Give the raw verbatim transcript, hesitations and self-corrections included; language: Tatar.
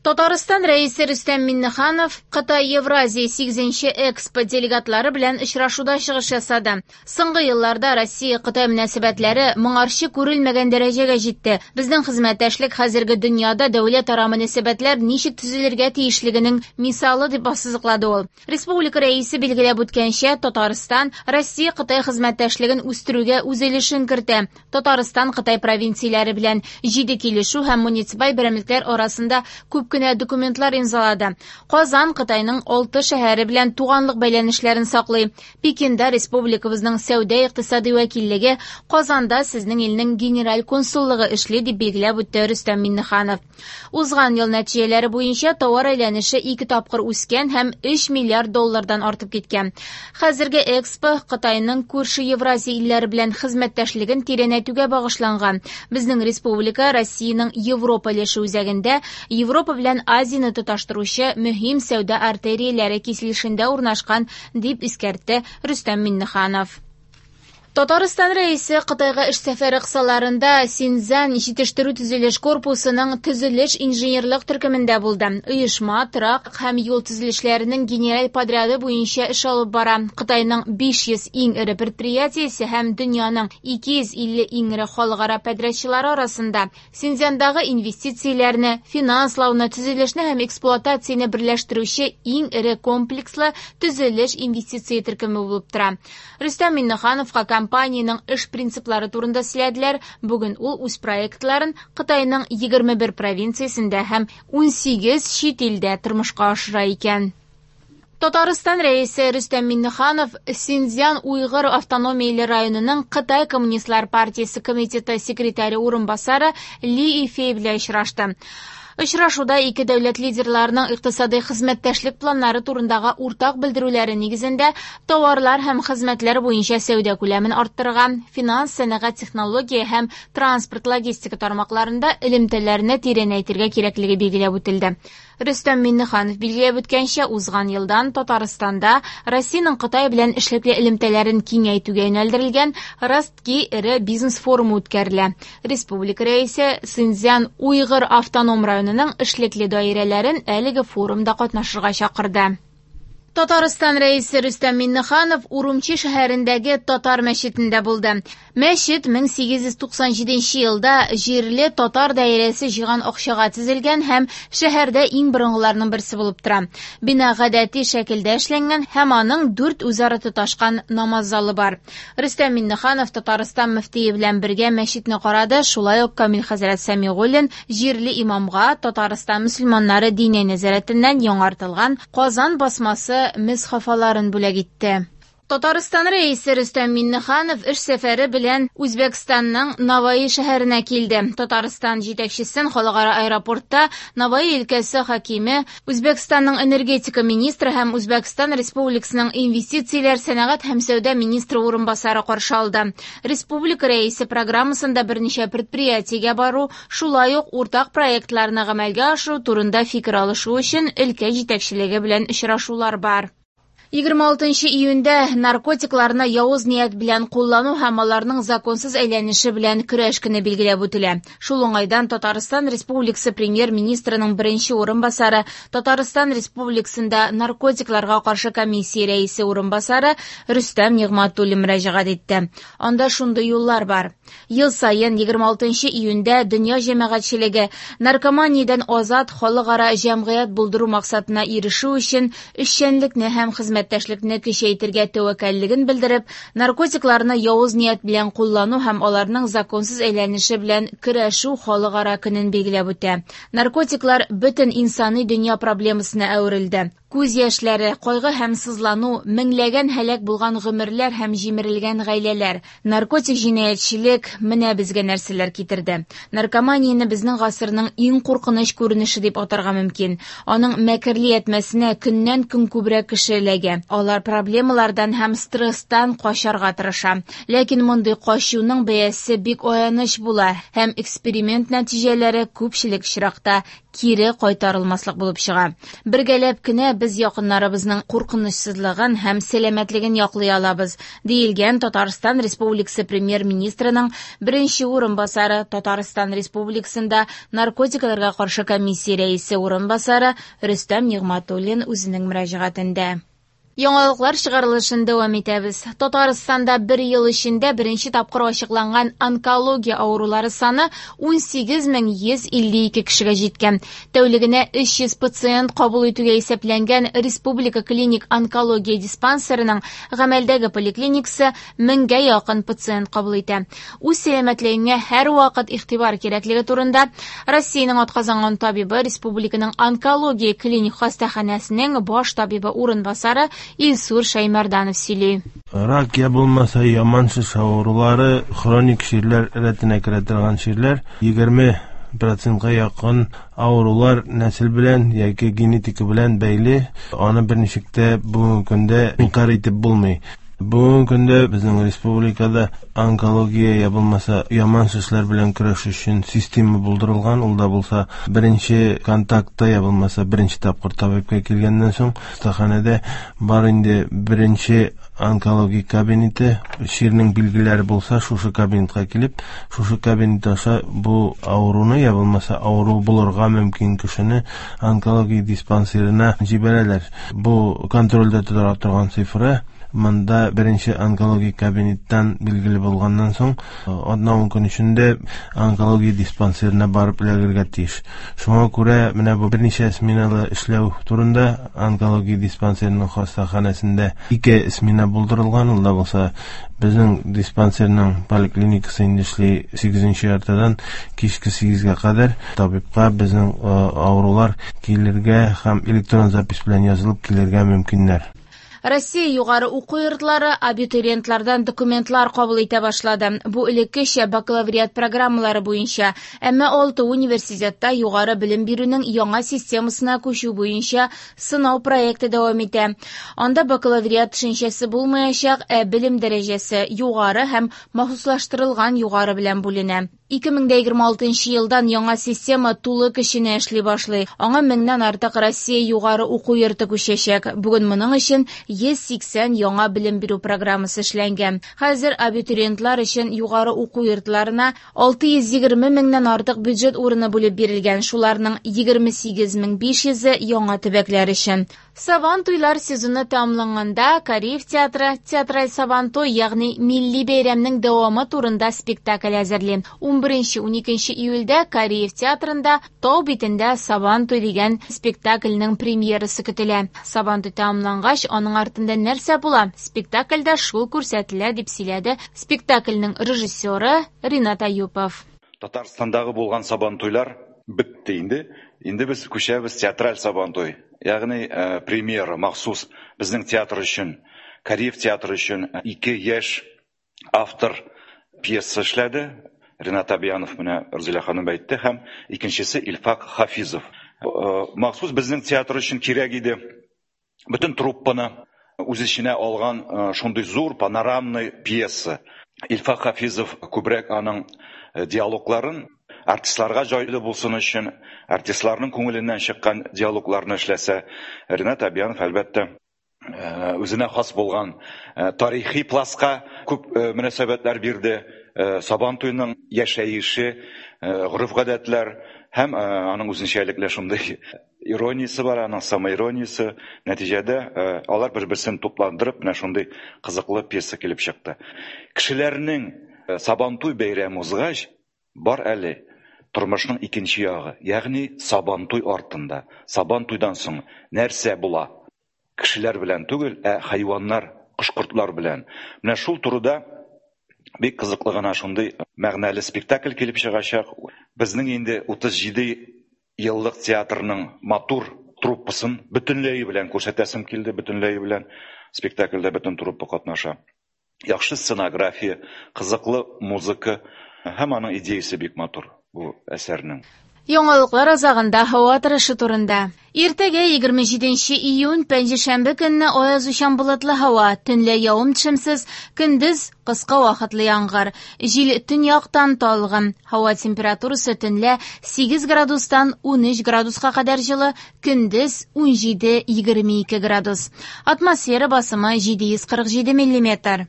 Татарстан Рәисе Рөстәм Миңнеханов Кытай Евразия сигезенче Экспо делегатлары белән очрашуда чыгыш ясады. Соңгы елларда Россия-Кытай мөнәсәбәтләре моңарчы күрелмәгән дәрәҗәгә җитте. Безнең хезмәттәшлек хәзерге дөньяда дәүләтара мөнәсәбәтләр ничек төзелергә тиешлегенең мисалы, дип ассызыклады ул. Республика Рәисе билгеләп үткәнчә, Татарстан Россия-Кытай хезмәттәшлеген үстерүгә үз өлешен кертә. Татарстан Кытай провинцияләре белән җиде килешү һәм муниципаль берәмлекләр арасында күп кенә документлар имзалады. Казан Кытайның алты шәһәре белән туганлык бәйләнешләрен саклый. Пекинда республикабызның сәүдә-икътисади вәкиллеге, Казанда сезнең илнең генераль консуллыгы эшли, дип билгеләп үтте Рөстәм Миңнеханов. Узган ел нәтиҗәләре буенча товар әйләнеше ике тапкыр үскән һәм өч миллиард доллардан артып киткән. Хәзерге Экспо Кытайның күрше Евразия илләре белән хезмәттәшлеген тирәнәйтүгә багышланган. Безнең республика Россиянең Европа өлеше үзәгендә Европа белән Азияне тоташтыручы мөһим сәүдә артерияләре киселешендә урнашкан, дип искәртте Рөстәм Миңнеханов. Татарстан Рәисе Кытайга эш сәфәре кысаларында Синьцзян җитештерү төзелеш корпусының төзелеш инженерлык төркемендә булды. Оешма торак һәм юл төзелешләренең генераль подряды буенча эш алып бара. Кытайның биш йөз иң эре предприятиесе һәм дөньяның ике йөз илле иң эре халыкара подрядчылары арасында Синьцзяндагы инвестицияләрне, финанслауны, төзелешне һәм эксплуатацияне берләштерүче иң эре комплекслы төзелеш инвестиция төркеме булып тора. Рөстәм Миңнехановка компаниянең эш принциплары турында сөйләделәр. Бүген ул үз проектларын Кытайның егерме бер провинциясендә һәм унсигез чит илдә тормышка ашыра икән. Татарстан Рәисе Рөстәм Миңнеханов Синьцзян Уйгыр автономияле районының Кытай Коммунистлар партиясе комитеты секретаре урынбасары Ли Ифей белән очрашты. Очрашуда ике дәүләт лидерларының икътисади хезмәттәшлек планнары турындагы уртак белдерүләре нигезендә товарлар һәм хезмәтләр буенча сәүдә күләмен арттырырга, финанс, сәнәгать, технология һәм транспорт логистика тармакларында элемтәләрне тирәнәйтергә кирәклеге билгеләп үтелде. Рөстәм Миңнеханов билгеләп үткәнчә, узган елдан Татарстанда Россиянең Кытай белән эшлекле элемтәләрен киңәйтүгә юнәлдерелгән Ростки эре бизнес форумы үткәрелә. Республика Рәисе Синьцзян Уйгыр автоном районының эшлекле даирәләрен әлеге форумда катнашырга чакырды. Татарстан Рәисе Рөстәм Миңнеханов Урумчи шәһәрендәге татар мәчетендә булды. Мәчет мең сигез йөз туксан җиденче елда җирле татар даирәсе җыйган акчага төзелгән һәм шәһәрдә иң борынгыларның берсе булып тора. Бина гадәти шәкелдә эшләнгән һәм аның дүрт үзара тоташкан намаз залы бар. Рөстәм Миңнеханов Татарстан мөфтие белән бергә мәчетне карады. Шулай ук Камил хәзрәт Сәмигуллин җирле имамга Татарстан мөселманнары диния нәзарәтеннән яңартылган Казан басмасы мисхафаларын бүләк итте. Татарстан Рәисе Рөстәм Миңнеханов эш сәфәре белән Үзбәкстанның Навои шәһәренә килде. Татарстан җитәкчесен халыкара аэропортта Навои өлкәсе хакиме, Үзбәкстанның энергетика министры һәм Үзбәкстан Республикасының инвестицияләр, сәнәгать һәм сәүдә министры урынбасары каршы алды. Республика Рәисе программасында берничә предприятиегә бару, шулай ук уртак проектларны гамәлгә ашыру турында фикер алышу өчен өлкә җитәкчелеге белән очрашулар бар. Егерме алтынчы июньдә наркотикларны явыз ният белән куллану һәм аларның законсыз әйләнеше белән көрәш көне билгеләп үтелә. Шул уңайдан Татарстан Республикасы премьер-министрының беренче урынбасары, Татарстан Республикасында наркотикларга каршы комиссия рәисе урынбасары Рөстәм Нигъмәтуллин мөрәҗәгать итте. Анда шундый юллар бар. Ел саен егерме алтынчы июньдә дөнья җәмәгатьчелеге наркоманиядән азат халыкара җәмгыять булдыру максатына ирешү өчен эшчәнлекне һәм хезмәт хезмәттәшлекне көчәйтергә тәвәккәллеген белдереп, наркотикларны явыз ният белән куллану һәм аларның законсыз әйләнеше белән көрәшү халыкара көнен билгеләп үтә. Наркотиклар бөтен инсани дөнья проблемасына әверелде. Күз яшьләре, кайгы һәм сызлану, меңләгән һәлак булган гомерләр һәм җимерелгән гаиләләр, наркотик җинаятьчелек менә безгә нәрсәләр китерде. Наркоманияне безнең гасырның иң куркыныч күренеше дип атарга мөмкин. Аның мәкерле ятмәсенә көннән-көн күбрәк кеше эләгә. Алар проблемалардан һәм стресстан качарга тырыша. Ләкин мондый качуның бәясе бик аяныч була һәм эксперимент нәтиҗәләре күпчелек очракта кире кайтарылмаслык булып чыга. Бергәләп кенә без якыннарыбызның куркынычсызлыгын һәм сәламәтлеген яклый алабыз, диелгән Татарстан Республикасы премьер-министрының беренче урынбасары, Татарстан Республикасында наркотикларга каршы комиссия рәисе урынбасары Рөстәм Нигъмәтуллин үзенең мөрәҗәгатендә. Яңалыклар чыгарылышын дәвам итәбез. Татарстанда бер ел эчендә беренче тапкыр ачыкланган онкология авырулары саны ун сигез мең йөз илле ике кешегә җиткән. Тәүлегенә өч йөз пациент кабул итүгә исәпләнгән Республика клиник онкология диспансерының гамәлдәге поликлиникасы меңгә якын пациент кабул итә. Үз сәламәтлегеңә һәрвакыт игътибар кирәклеге турында Россиянең атказанган табибы, Республиканың онкология клиник хастаханәсенең баш табибы урынбасары Илсур Шаймарданов сөйли. Рак я булмаса яман шеш авырулары хроник чирләр рәтенә керә торган чирләр. Егерме процентка якын авырулар нәсел белән яки генетика белән бәйле. Аны берничек тә бүгенге көндә инкар итеп булмый. Бүгенге көндә безнең республикада онкология я булмаса яман шешләр белән көрәш өчен система булдырылган. Ул да булса беренче контактта я булмаса беренче тапкыр табибка килгәннән соң хастаханәдә бар инде беренче онкология кабинеты. Чирнең билгеләре булса, шушы кабинетка килеп, шушы кабинет аша бу авыруны я булмаса авыру булырга мөмкин кешене онкология диспансерына җибәрәләр. Бу контрольдә тотыла торган цифра. Монда беренче онкология кабинеттан билгеле булганнан соң атна ун көн эчендә онкология диспансерына барып эләгергә тиеш. Шуңа күрә менә бу берничә сменалы эшләү турында онкология диспансерының хастаханәсендә ике смена булдырылган. Ул да булса безнең диспансерның поликлиникасы инде эшли сигезенче яртыдан кичке сигезгә кадәр. Табибка безнең авырулар килергә һәм электрон запись белән язылып килергә мөмкиннәр. Россия югары уку йортлары абитуриентлардан документлар кабул итә башлады. Бу элеккечә бакалавриат программалары буенча, әмма алты университетта югары белем бирүнең яңа системасына күчү буенча сынау проекты дәвам итә. Анда бакалавриат төшенчәсе булмаячак, ә белем дәрәҗәсе югары һәм махсуслаштырылган югары белән бүленә. Ике мең дә егерме алтынчы елдан яңа система тулы көченә эшли башлый. Аңа меңнән артык Россия югары уку йорты күчәчәк. Бүген моның өчен йөз сиксән яңа белем бирү программасы эшләнгән. Хәзер абитуриентлар өчен югары уку йортларына алты йөз егерме меңнән артык бюджет урыны бүлеп бирелгән. Шуларның егерме сигез мең биш йөзе яңа төбәкләр өчен. Сабантуйлар сезоны тәмамланганда Кариев театры театраль Сабантуй, ягъни милли бәйрәмнең дәвамы турында спектакль әзерли. Ун беренче, ун икенче июльдә Кариев театрында Тау битендә Сабантуй дигән спектакльнең премьерасы көтелә. Сабантуй тәмамлангач, аның артында нәрсә була? Спектакльдә шул күрсәтелә, дип сөйләде спектакльнең режиссеры Ринат Аюпов. Татарстандагы булган Сабантуйлар бетте инде. Инде без күчәбез театраль Сабантуй, ягъни, э, премьера махсус безнең театр өчен, Кариев театры өчен ике яшь автор пьеса эшләде. Ринат Абиянов менә Рузилә ханым әйтте, һәм икенчесе Илфак Хафизов. Э, махсус безнең театр өчен кирәк иде. Бөтен труппаны үз эченә алган, э, шундый зур панорамный пьеса. Илфак Хафизов күбрәк аның, э, диалогларын артистларга җайлы булсын өчен, артистларның күңеленнән чыккан диалогларны эшләсә, Ринат Абиянов әлбәттә, э, үзенә хас булган, э, тарихи пластка күп, э, мөнәсәбәтләр бирде. Э, Сабантуйның яшәеше, э, гореф-гадәтләр һәм, э, аның үзенчәлекле шундый ирониясе бар, аның самоирониясе. Нәтиҗәдә, э, алар бер-берсен тупландырып, менә шундый кызыклы пьеса килеп чыкты. Кешеләрнең, э, Сабантуй бәйрәме узгач, бар әле тормышның икенче ягы, ягъни Сабантуй артында, Сабантуйдан соң нәрсә була? Кешеләр белән түгел, ә хайваннар, кош-кортлар белән. Менә шул турыда бик кызыклы гына шундый мәгънәле спектакль килеп чыгачак. Безнең инде утыз җиде еллык театрның матур труппасын бөтенләе белән күрсәтәсем килде, бөтенләе белән спектакльдә бөтен труппа катнаша. Яхшы сценография, кызыклы музыка һәм аның идеясы бик матур бу әсәрнең. Яңалыклар азагында һава торышы турында. Иртәгә егерме җиденче июнь пәнҗешәмбе көнне аязучан болытлы һава, төнлә явым-төшемсез, көндез кыска вакытлы яңгыр. Җил төньяктан талгын. Һава температурасы төнлә сигез градустан унөч градуска кадәр җылы, көндез унҗиде-егерме ике градус. Атмосфера басымы җиде йөз кырык җиде миллиметр.